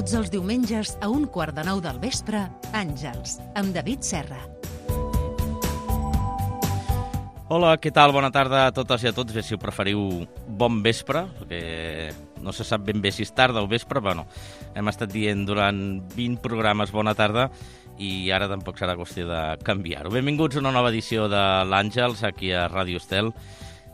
Tots els diumenges a 8:45 del vespre, Àngels, amb David Serra. Hola, què tal? Bona tarda a totes i a tots. Bé, si ho preferiu, bon vespre, perquè no se sap ben bé si és tarda o vespre, però no. Hem estat dient durant 20 programes bona tarda i ara tampoc serà qüestió de canviar-ho. Benvinguts a una nova edició de l'Àngels, aquí a Ràdio Estel.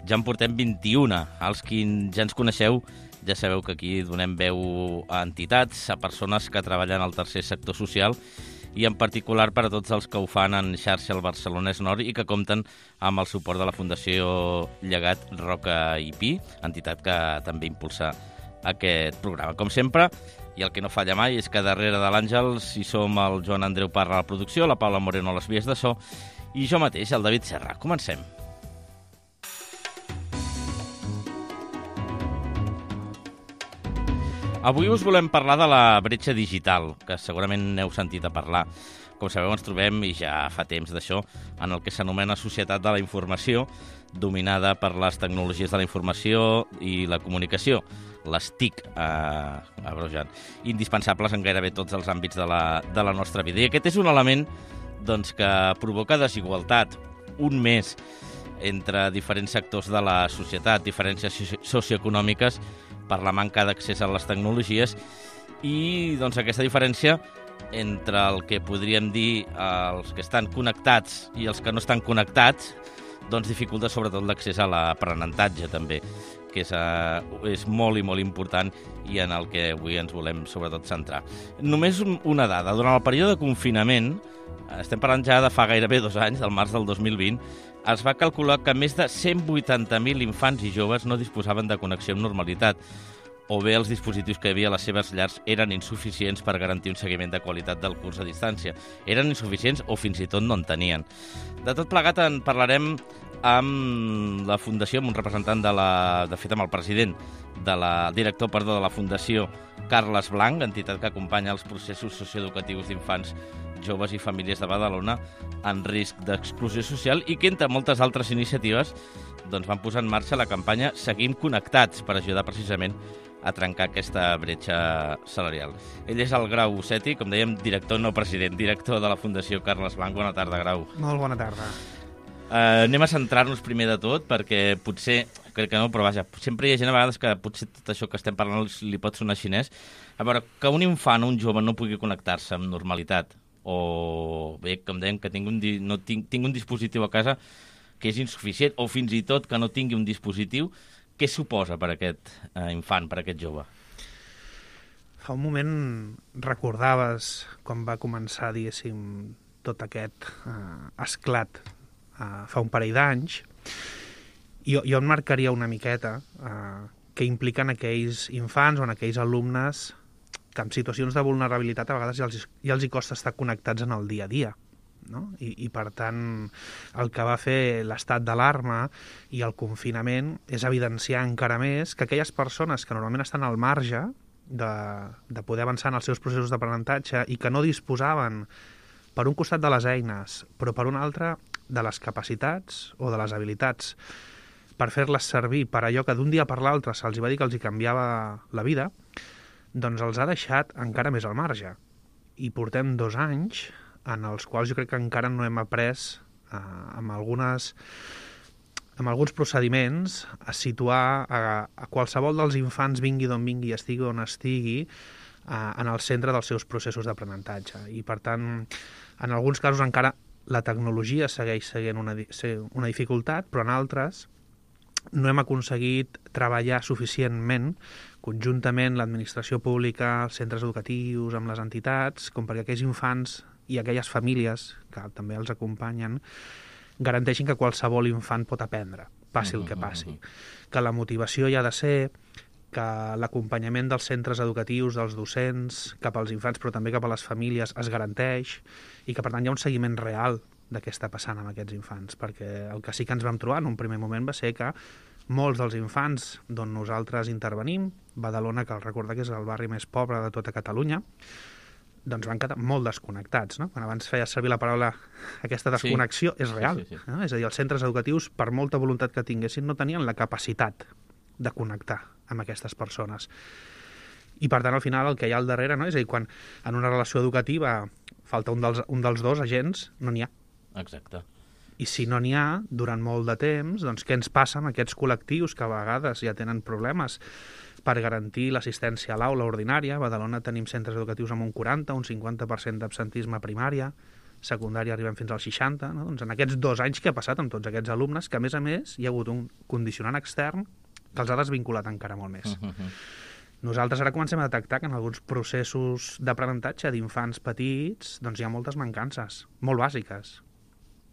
Ja en portem 21. Els qui ja ens coneixeu ja sabeu que aquí donem veu a entitats, a persones que treballen al tercer sector social i en particular per a tots els que ho fan en xarxa al Barcelonès Nord i que compten amb el suport de la Fundació Llegat Roca i Pi, entitat que també impulsa aquest programa. Com sempre, i el que no falla mai és que darrere de l'Àngels hi som el Joan Andreu Parra a la producció, la Paula Moreno a les vies de so i jo mateix, el David Serra. Comencem. Avui us volem parlar de la bretxa digital, que segurament n'heu sentit a parlar. Com sabeu, ens trobem, i ja fa temps d'això, en el que s'anomena Societat de la Informació, dominada per les tecnologies de la informació i la comunicació, les TIC, abrojant, indispensables en gairebé tots els àmbits de la nostra vida. I aquest és un element doncs, que provoca desigualtat, un més entre diferents sectors de la societat, diferències socioeconòmiques, per la manca d'accés a les tecnologies i doncs, aquesta diferència entre el que podríem dir els que estan connectats i els que no estan connectats doncs dificulta sobretot l'accés a l'aprenentatge també, que és molt i molt important i en el que avui ens volem sobretot centrar. Només una dada, durant el període de confinament, estem parlant ja de fa gairebé 2 anys, del març del 2020, es va calcular que més de 180.000 infants i joves no disposaven de connexió amb normalitat, o bé els dispositius que hi havia a les seves llars eren insuficients per garantir un seguiment de qualitat del curs a distància. Eren insuficients o fins i tot no en tenien. De tot plegat en parlarem amb la Fundació, amb un representant de fet amb el president, director de la Fundació, Carles Blanc, entitat que acompanya els processos socioeducatius d'infants, joves i famílies de Badalona en risc d'exclusió social i que, entre moltes altres iniciatives, doncs van posar en marxa la campanya Seguim Connectats per ajudar precisament a trencar aquesta bretxa salarial. Ell és el Grau Seti, com dèiem, director, no president, director de la Fundació Carles Blanc. Bona tarda, Grau. Molt bona tarda. Anem a centrar-nos primer de tot, perquè potser, crec que no, però vaja, sempre hi ha gent a vegades que potser tot això que estem parlant li pot sonar xinès. A veure, que un infant o un jove no pugui connectar-se amb normalitat, o bé, com dèiem, que tinc un dispositiu a casa que és insuficient, o fins i tot que no tingui un dispositiu, què suposa per aquest infant, per aquest jove? Fa un moment recordaves quan va començar, diguéssim, tot aquest esclat fa un parell d'anys, i jo en marcaria una miqueta que impliquen aquells infants o en aquells alumnes que en situacions de vulnerabilitat a vegades ja els hi costa estar connectats en el dia a dia. No? I per tant, el que va fer l'estat d'alarma i el confinament és evidenciar encara més que aquelles persones que normalment estan al marge de poder avançar en els seus processos d'aprenentatge i que no disposaven per un costat de les eines, però per un altre de les capacitats o de les habilitats per fer-les servir per allò que d'un dia per l'altre se'ls va dir que els hi canviava la vida, doncs els ha deixat encara més al marge. I portem 2 anys en els quals jo crec que encara no hem après amb alguns procediments a situar a qualsevol dels infants, vingui d'on vingui, estigui on estigui, en el centre dels seus processos d'aprenentatge. I per tant, en alguns casos encara la tecnologia segueix sent una dificultat, però en altres no hem aconseguit treballar suficientment conjuntament l'administració pública, els centres educatius, amb les entitats, com perquè aquells infants i aquelles famílies que també els acompanyen garanteixin que qualsevol infant pot aprendre, passi el que passi. Que la motivació hi ha de ser, que l'acompanyament dels centres educatius, dels docents, cap als infants, però també cap a les famílies, es garanteix i que, per tant, hi ha un seguiment real de què està passant amb aquests infants, perquè el que sí que ens vam trobar en un primer moment va ser que molts dels infants d'on nosaltres intervenim, Badalona, cal recordar que és el barri més pobre de tota Catalunya, doncs van quedar molt desconnectats, no? Quan abans feia servir la paraula aquesta desconnexió, és real. Sí. No? És a dir, els centres educatius, per molta voluntat que tinguessin, no tenien la capacitat de connectar amb aquestes persones. I, per tant, al final, el que hi ha al darrere, no? És a dir, quan en una relació educativa falta un dels dos agents, no n'hi ha. Exacte. I si no n'hi ha, durant molt de temps, doncs què ens passa amb aquests col·lectius que a vegades ja tenen problemes per garantir l'assistència a l'aula ordinària? A Badalona tenim centres educatius amb un 40, un 50% d'absentisme a primària, secundària arribem fins al 60, no? Doncs en aquests 2 anys que ha passat amb tots aquests alumnes, que a més hi ha hagut un condicionant extern que els ha desvinculat encara molt més. Nosaltres ara comencem a detectar que en alguns processos d'aprenentatge d'infants petits doncs hi ha moltes mancances, molt bàsiques.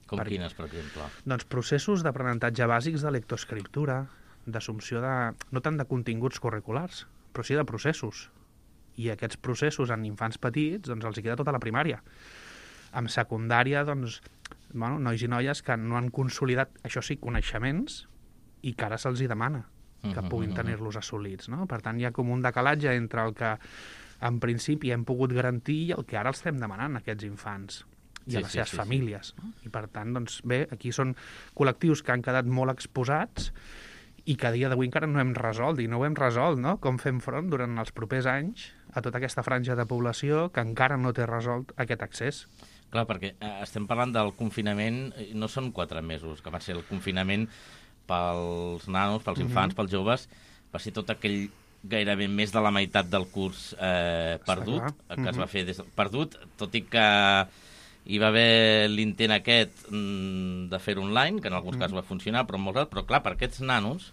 Com quines, per exemple? Doncs processos d'aprenentatge bàsics de lectoescriptura, d'assumpció de... no tant de continguts curriculars, però sí de processos. I aquests processos en infants petits doncs els hi queda tota la primària. En secundària, doncs, bueno, nois i noies que no han consolidat, això sí, coneixements i que ara se'ls hi demana que puguin tenir-los assolits, no? Per tant, hi ha com un decalatge entre el que en principi hem pogut garantir i el que ara els estem demanant a aquests infants i a les seves famílies. No? I per tant, doncs, bé, aquí són col·lectius que han quedat molt exposats i que a dia d'avui encara no hem resolt, i no ho hem resolt, no? Com fem front durant els propers anys a tota aquesta franja de població que encara no té resolt aquest accés. Clar, perquè estem parlant del confinament, no són 4 mesos, que va ser el confinament pels nanos, pels infants, pels joves, va ser tot aquell gairebé més de la meitat del curs perdut, que es va fer perdut, tot i que hi va haver l'intent aquest de fer online, que en alguns casos va funcionar, però clar, per aquests nanos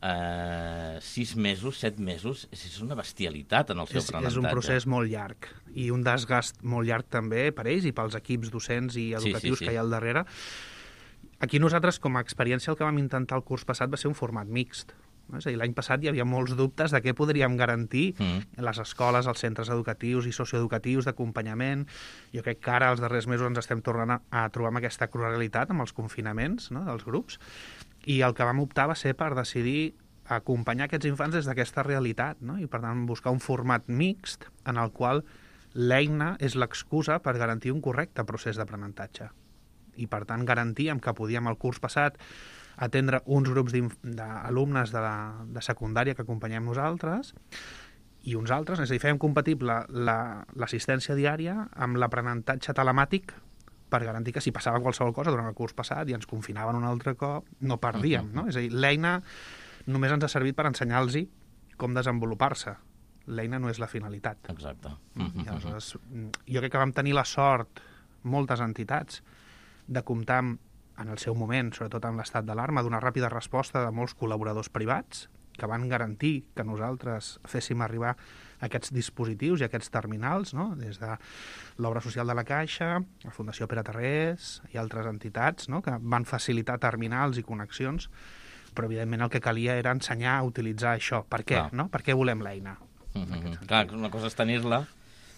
6 mesos, 7 mesos, és una bestialitat en el seu aprenentatge. És un procés molt llarg i un desgast molt llarg també per ells i pels equips docents i educatius que hi ha al darrere. Aquí nosaltres, com a experiència, el que vam intentar el curs passat va ser un format mixt. És a dir, l'any passat hi havia molts dubtes de què podríem garantir les escoles, els centres educatius i socioeducatius d'acompanyament. Jo crec que ara, els darrers mesos, ens estem tornant a trobar amb aquesta crua realitat, amb els confinaments, no?, dels grups, i el que vam optar va ser per decidir acompanyar aquests infants des d'aquesta realitat, no? I, per tant, buscar un format mixt en el qual l'eina és l'excusa per garantir un correcte procés d'aprenentatge. I, per tant, garantíem que podíem el curs passat atendre uns grups d'alumnes de secundària que acompanyem nosaltres i uns altres, és a dir, fèiem compatible l'assistència diària amb l'aprenentatge telemàtic per garantir que si passava qualsevol cosa durant el curs passat i ens confinaven un altre cop, no perdíem, no? És a dir, l'eina només ens ha servit per ensenyar-los com desenvolupar-se. L'eina no és la finalitat. Exacte. I aleshores, jo crec que vam tenir la sort, moltes entitats, de comptar en el seu moment, sobretot en l'estat d'alarma, d'una ràpida resposta de molts col·laboradors privats que van garantir que nosaltres féssim arribar aquests dispositius i aquests terminals, no?, des de l'Obra Social de la Caixa, la Fundació Pere Tarrés i altres entitats, no?, que van facilitar terminals i connexions, però evidentment el que calia era ensenyar a utilitzar això. Per què? No? Per què volem l'eina? Clar, una cosa és tenir-la,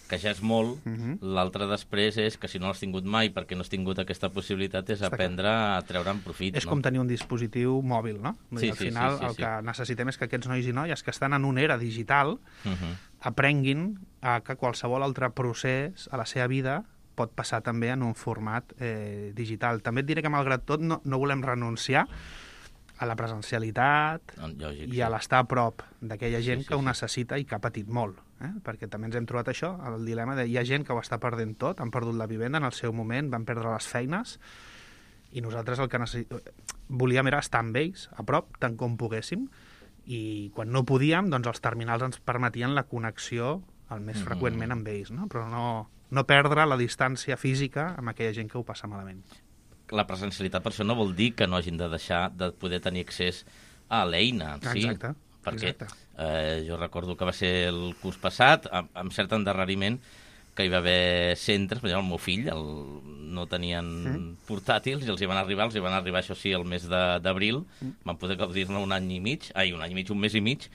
que ja és molt, l'altre després és que si no l'has tingut mai perquè no has tingut aquesta possibilitat és aprendre a treure'n profit. És com tenir un dispositiu mòbil, no? Al final el que necessitem és que aquests nois i noies que estan en una era digital aprenguin que qualsevol altre procés a la seva vida pot passar també en un format digital. També et diré que malgrat tot no volem renunciar a la presencialitat i a l'estar a prop d'aquella gent que ho necessita i que ha patit molt. Perquè també ens hem trobat això, el dilema de hi ha gent que ho està perdent tot, han perdut la vivenda en el seu moment, van perdre les feines, i nosaltres el que volíem era estar amb ells, a prop, tant com poguéssim, i quan no podíem, doncs els terminals ens permetien la connexió el més freqüentment amb ells, no? Però no perdre la distància física amb aquella gent que ho passa malament. La presencialitat per això no vol dir que no hagin de deixar de poder tenir accés a l'eina en si. Exacte. Perquè jo recordo que va ser el curs passat, amb cert endarreriment, que hi va haver centres, per exemple, el meu fill no tenien portàtils i els hi van arribar, això sí, el mes d'abril, van poder gaudir-ne un mes i mig,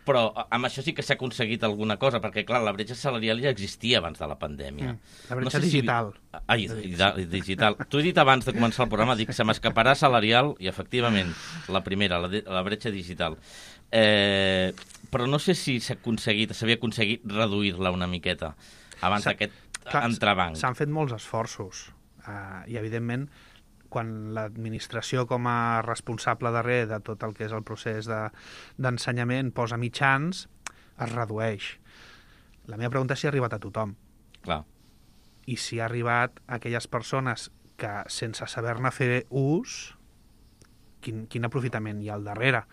però amb això sí que s'ha aconseguit alguna cosa, perquè, clar, la bretxa salarial ja existia abans de la pandèmia. La bretxa digital. Digital. T'ho he dit abans de començar el programa, dic, se m'escaparà salarial, i efectivament, la primera, la bretxa digital. Però no sé si s'havia aconseguit reduir-la una miqueta abans d'aquest entrebanc. S'han fet molts esforços, i evidentment quan l'administració com a responsable darrere de tot el que és el procés d'ensenyament posa mitjans, es redueix. La meva pregunta és si ha arribat a tothom. Clar. I si ha arribat a aquelles persones que, sense saber-ne fer ús, quin aprofitament hi ha al darrere.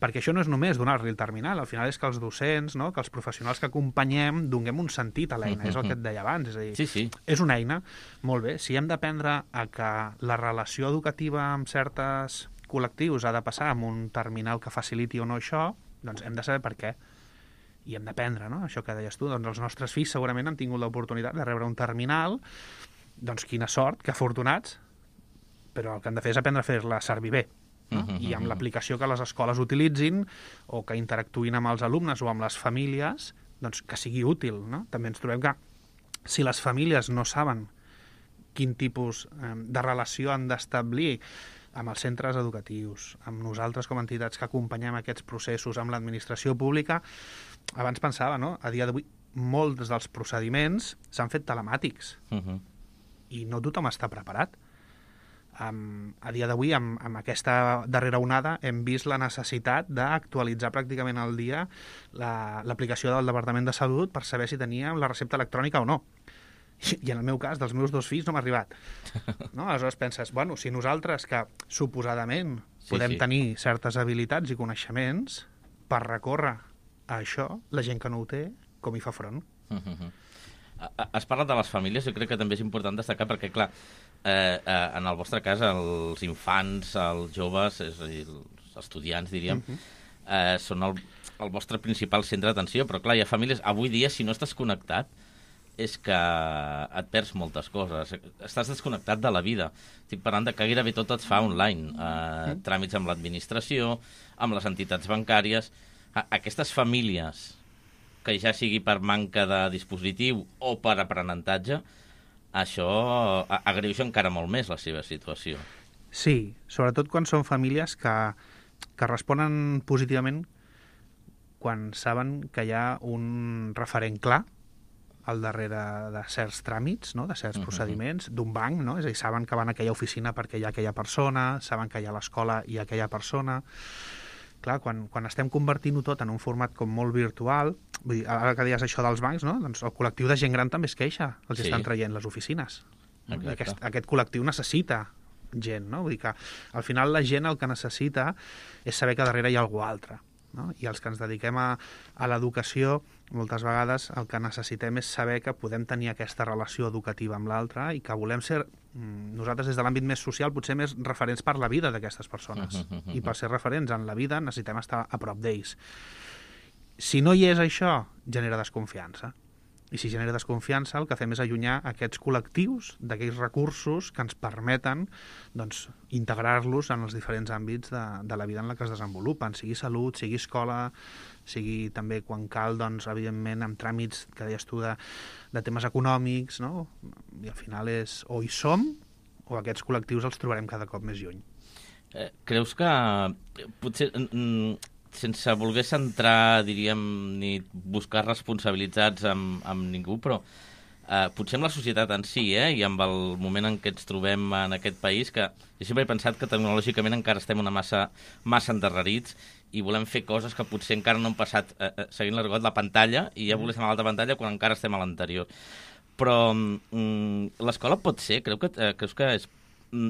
Perquè això no és només donar-li el terminal, al final és que els docents, no? Que els professionals que acompanyem donem un sentit a l'eina, és el que et deia abans. És a dir, Sí. és una eina, molt bé, si hem d'aprendre a que la relació educativa amb certs col·lectius ha de passar amb un terminal que faciliti o no això, doncs hem de saber per què. I hem d'aprendre, no? Això que deies tu, doncs els nostres fills segurament han tingut l'oportunitat de rebre un terminal, doncs quina sort, que afortunats, però el que han de fer és aprendre a fer-la servir bé. No? I amb l'aplicació que les escoles utilitzin o que interactuïn amb els alumnes o amb les famílies, doncs que sigui útil. No? També ens trobem que si les famílies no saben quin tipus de relació han d'establir amb els centres educatius, amb nosaltres com a entitats que acompanyem aquests processos, amb l'administració pública, abans pensava, no? A dia d'avui, molts dels procediments s'han fet telemàtics i no tothom està preparat. A dia d'avui, amb aquesta darrera onada, hem vist la necessitat d'actualitzar pràcticament al dia l'aplicació del Departament de Salut per saber si teníem la recepta electrònica o no. I en el meu cas, dels meus 2 fills, no m'ha arribat. No? Aleshores penses, bueno, si nosaltres, que suposadament podem tenir certes habilitats i coneixements per recórrer a això, la gent que no ho té, com hi fa front? Has parlat de les famílies, jo crec que també és important destacar perquè, clar, en el vostre cas, els infants, els joves, és a dir, els estudiants, diríem, són el vostre principal centre d'atenció, però, clar, hi ha famílies... Avui dia, si no estàs connectat, és que et perds moltes coses. Estàs desconnectat de la vida. Estic parlant de que gairebé tot et fa online. Tràmits amb l'administració, amb les entitats bancàries... Aquestes famílies, que ja sigui per manca de dispositiu o per aprenentatge, això agreuja encara molt més la seva situació. Sí, sobretot quan són famílies que responen positivament quan saben que hi ha un referent clar al darrere de certs tràmits, no? De certs procediments, d'un banc, no? És a dir, saben que van a aquella oficina perquè hi ha aquella persona, saben que hi ha a l'escola i aquella persona... Clar, quan estem convertint-ho tot en un format com molt virtual, vull dir, ara que deies això dels bancs, no? Doncs el col·lectiu de gent gran també es queixa, els estan traient les oficines. Aquest col·lectiu necessita gent, no? Vull dir que al final la gent el que necessita és saber que darrere hi ha algú altre. No? I els que ens dediquem a l'educació, moltes vegades el que necessitem és saber que podem tenir aquesta relació educativa amb l'altre i que volem ser, nosaltres des de l'àmbit més social, potser més referents per la vida d'aquestes persones. I per ser referents en la vida necessitem estar a prop d'ells. Si no hi és això, genera desconfiança. I si genera desconfiança, el que fem és allunyar aquests col·lectius d'aquells recursos que ens permeten doncs, integrar-los en els diferents àmbits de la vida en la que es desenvolupen, sigui salut, sigui escola, sigui també, quan cal, doncs, evidentment, amb tràmits que deies tu de temes econòmics, no? I al final és o hi som o aquests col·lectius els trobarem cada cop més lluny. Creus que potser... sense voler centrar, diríem, ni buscar responsabilitats amb ningú, però potser amb la societat en si, i amb el moment en què ens trobem en aquest país, que jo sempre he pensat que tecnològicament encara estem massa endarrerits i volem fer coses que potser encara no han passat seguint l'argot la pantalla i ja volem estar a l'altra pantalla quan encara estem a l'anterior. Però l'escola pot ser, creus que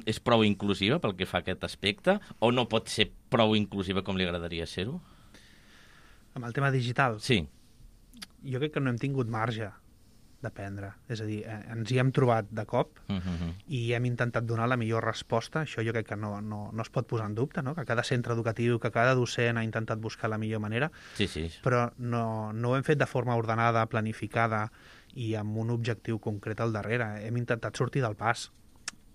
és prou inclusiva pel que fa a aquest aspecte o no pot ser prou inclusiva com li agradaria ser-ho? Amb el tema digital? Sí. Jo crec que no hem tingut marge d'aprendre. És a dir, ens hi hem trobat de cop i hem intentat donar la millor resposta. Això jo crec que no es pot posar en dubte, no? Que cada centre educatiu, que cada docent ha intentat buscar la millor manera, però no ho hem fet de forma ordenada, planificada i amb un objectiu concret al darrere. Hem intentat sortir del pas.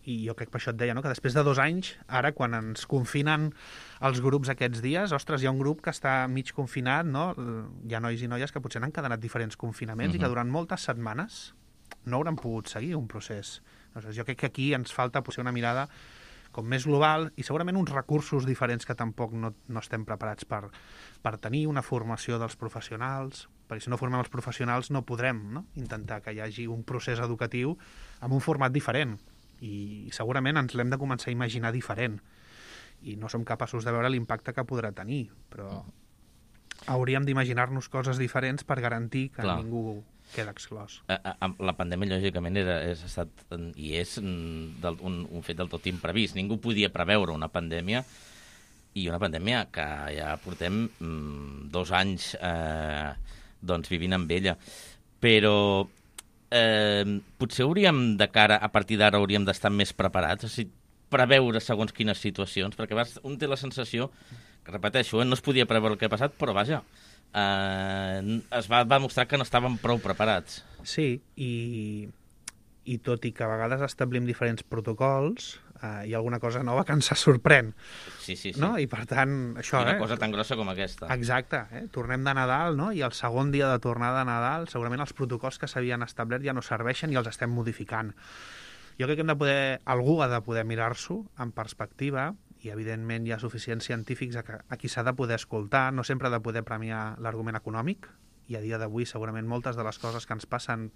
I jo crec que per això et deia, no? Que després de 2 anys, ara quan ens confinen els grups aquests dies, ostres, hi ha un grup que està mig confinat, no? Hi ha nois i noies que potser han quedat diferents confinaments i que durant moltes setmanes no hauran pogut seguir un procés. Jo crec que aquí ens falta potser una mirada com més global i segurament uns recursos diferents que tampoc no estem preparats per tenir, una formació dels professionals, perquè si no formem els professionals no podrem, no? Intentar que hi hagi un procés educatiu amb un format diferent. I segurament ens l'hem de començar a imaginar diferent i no som capaços de veure l'impacte que podrà tenir, però hauríem d'imaginar-nos coses diferents per garantir que ningú queda exclòs. La pandèmia, lògicament, ha estat i és un fet del tot imprevist. Ningú podia preveure una pandèmia, i una pandèmia que ja portem 2 anys vivint amb ella. Però potser hauríem, de cara a partir d'ara, hauríem d'estar més preparats, o sigui, preveure segons quines situacions, perquè un té la sensació, que repeteixo, no es podia preveure el que ha passat, però vaja, es va demostrar que no estàvem prou preparats. Sí, i tot i que a vegades establim diferents protocols, hi ha alguna cosa nova que ens sorprèn. Sí. No? I per tant, això... I una cosa tan grossa com aquesta. Exacte. Tornem de Nadal, no? I el segon dia de tornada de Nadal, segurament els protocols que s'havien establert ja no serveixen i els estem modificant. Jo crec que algú ha de poder mirar-s'ho en perspectiva, i evidentment hi ha suficients científics a qui s'ha de poder escoltar, no sempre ha de poder premiar l'argument econòmic, i a dia d'avui segurament moltes de les coses que ens passen,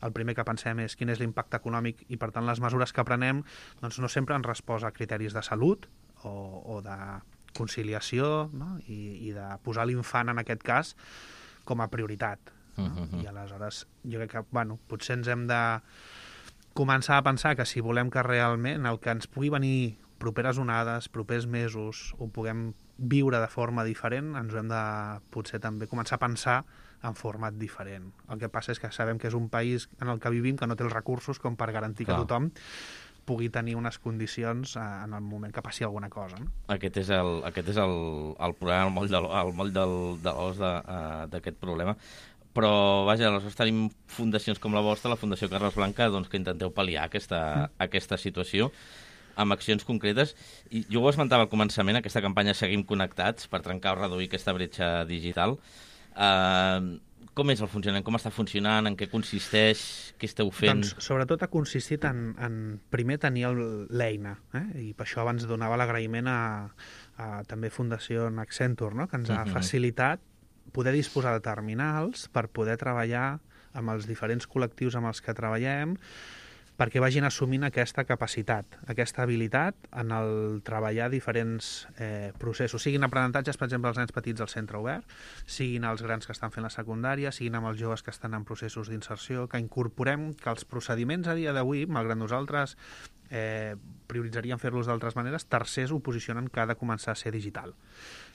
el primer que pensem és quin és l'impacte econòmic, i per tant les mesures que prenem doncs no sempre han respost a criteris de salut o de conciliació, no? I de posar l'infant en aquest cas com a prioritat. No? I aleshores jo crec que potser ens hem de començar a pensar que si volem que realment el que ens pugui venir properes onades, propers mesos, ho puguem viure de forma diferent, ens ho hem de potser també començar a pensar en format diferent. El que passa és que sabem que és un país en el que vivim que no té els recursos com per garantir que tothom pugui tenir unes condicions en el moment que passi alguna cosa. No? Aquest és el problema, el moll de l'os d'aquest problema. Però, vaja, aleshores tenim fundacions com la vostra, la Fundació Carles Blanca, doncs, que intenteu pal·liar aquesta situació amb accions concretes. I jo ho esmentava al començament, aquesta campanya Seguim Connectats per trencar o reduir aquesta bretxa digital. Com és el funcionament? Com està funcionant? En què consisteix? Què esteu fent? Doncs sobretot ha consistit en primer tenir l'eina, i per això abans donava l'agraïment a també Fundació Accenture, no? Que ens ha facilitat poder disposar de terminals per poder treballar amb els diferents col·lectius amb els que treballem, perquè vagin assumint aquesta capacitat, aquesta habilitat en el treballar diferents processos, siguin aprenentatges, per exemple, els nens petits al centre obert, siguin els grans que estan fent la secundària, siguin amb els joves que estan en processos d'inserció, que incorporem que els procediments a dia d'avui, malgrat nosaltres prioritzaríem fer-los d'altres maneres, tercers ho posicionen que ha de començar a ser digital.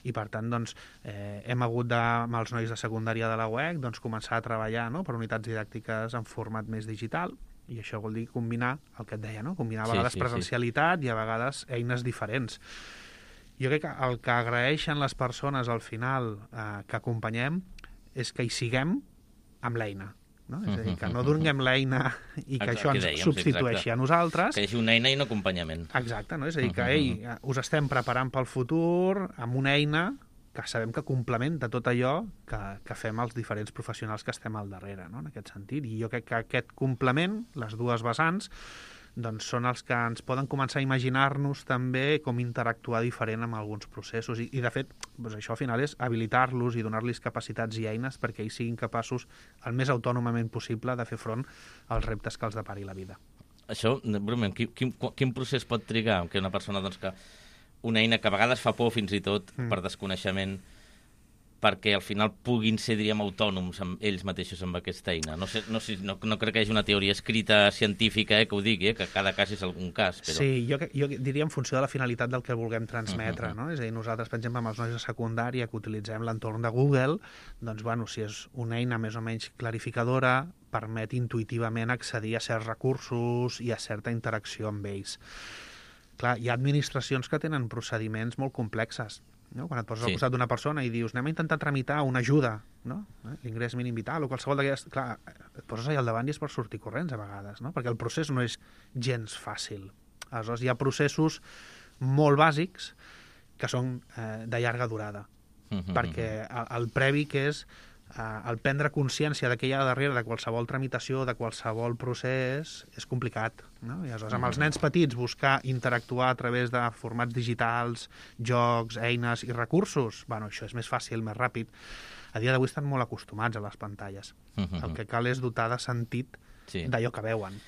I per tant, doncs, hem hagut amb els nois de secundària de la UEC començar a treballar per unitats didàctiques en format més digital, i això vol dir combinar el que et deia, no? Combinar a vegades presencialitat i a vegades eines diferents. Jo crec que el que agraeixen les persones al final que acompanyem és que hi siguem amb l'eina. No? És a dir, que no donem l'eina i que això ens substitueixi a nosaltres. Que hi hagi una eina i un acompanyament. Exacte, no? És a dir, que us estem preparant pel futur amb una eina que sabem que complementa tot allò que fem els diferents professionals que estem al darrere, no? En aquest sentit. I jo crec que aquest complement, les dues vessants, doncs són els que ens poden començar a imaginar-nos també com interactuar diferent amb alguns processos. I de fet, doncs això al final és habilitar-los i donar-los capacitats i eines perquè ells siguin capaços el més autònomament possible de fer front als reptes que els depari la vida. Això, breument, quin procés pot trigar que una persona, doncs, que una eina que a vegades fa por fins i tot per desconeixement, perquè al final puguin ser, diríem, autònoms ells mateixos amb aquesta eina. No crec que hi hagi una teoria escrita científica que ho digui, que cada cas és algun cas. Però... Sí, jo diria en funció de la finalitat del que vulguem transmetre. No? És a dir, nosaltres, per exemple, amb els nois de secundària que utilitzem l'entorn de Google, doncs, bueno, si és una eina més o menys clarificadora, permet intuïtivament accedir a certs recursos i a certa interacció amb ells. Clar, hi ha administracions que tenen procediments molt complexes. No? Quan et poses al costat d'una persona i dius anem a intentar tramitar una ajuda, no? L'ingrés mínim vital o qualsevol d'aquestes... Clar, et poses allà al davant i és per sortir corrents a vegades, no? Perquè el procés no és gens fàcil. Aleshores, hi ha processos molt bàsics que són de llarga durada. Perquè el previ que és el prendre consciència de què hi ha darrere de qualsevol tramitació, de qualsevol procés, és complicat. No? I aleshores, amb els nens petits, buscar interactuar a través de formats digitals, jocs, eines i recursos, bueno, això és més fàcil, més ràpid. A dia d'avui estan molt acostumats a les pantalles. El que cal és dotar de sentit d'allò que veuen.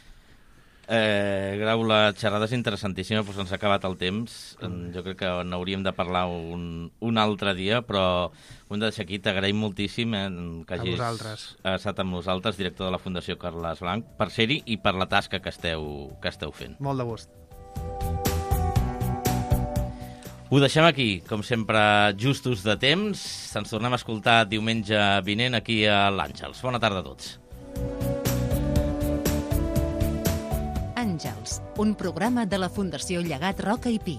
Grau, la xerrada és interessantíssima, però ens ha acabat el temps. Jo crec que n'hauríem de parlar un altre dia, però ho hem de deixar aquí. T'agraïm moltíssim que hagis estat amb nosaltres, director de la Fundació Carles Blanc, per ser-hi i per la tasca que esteu fent. Molt de gust. Ho deixem aquí, com sempre, justos de temps. Ens tornem a escoltar diumenge vinent aquí a l'Àngels. Bona tarda a tots. Àngels, un programa de la Fundació Llegat Roca i Pi.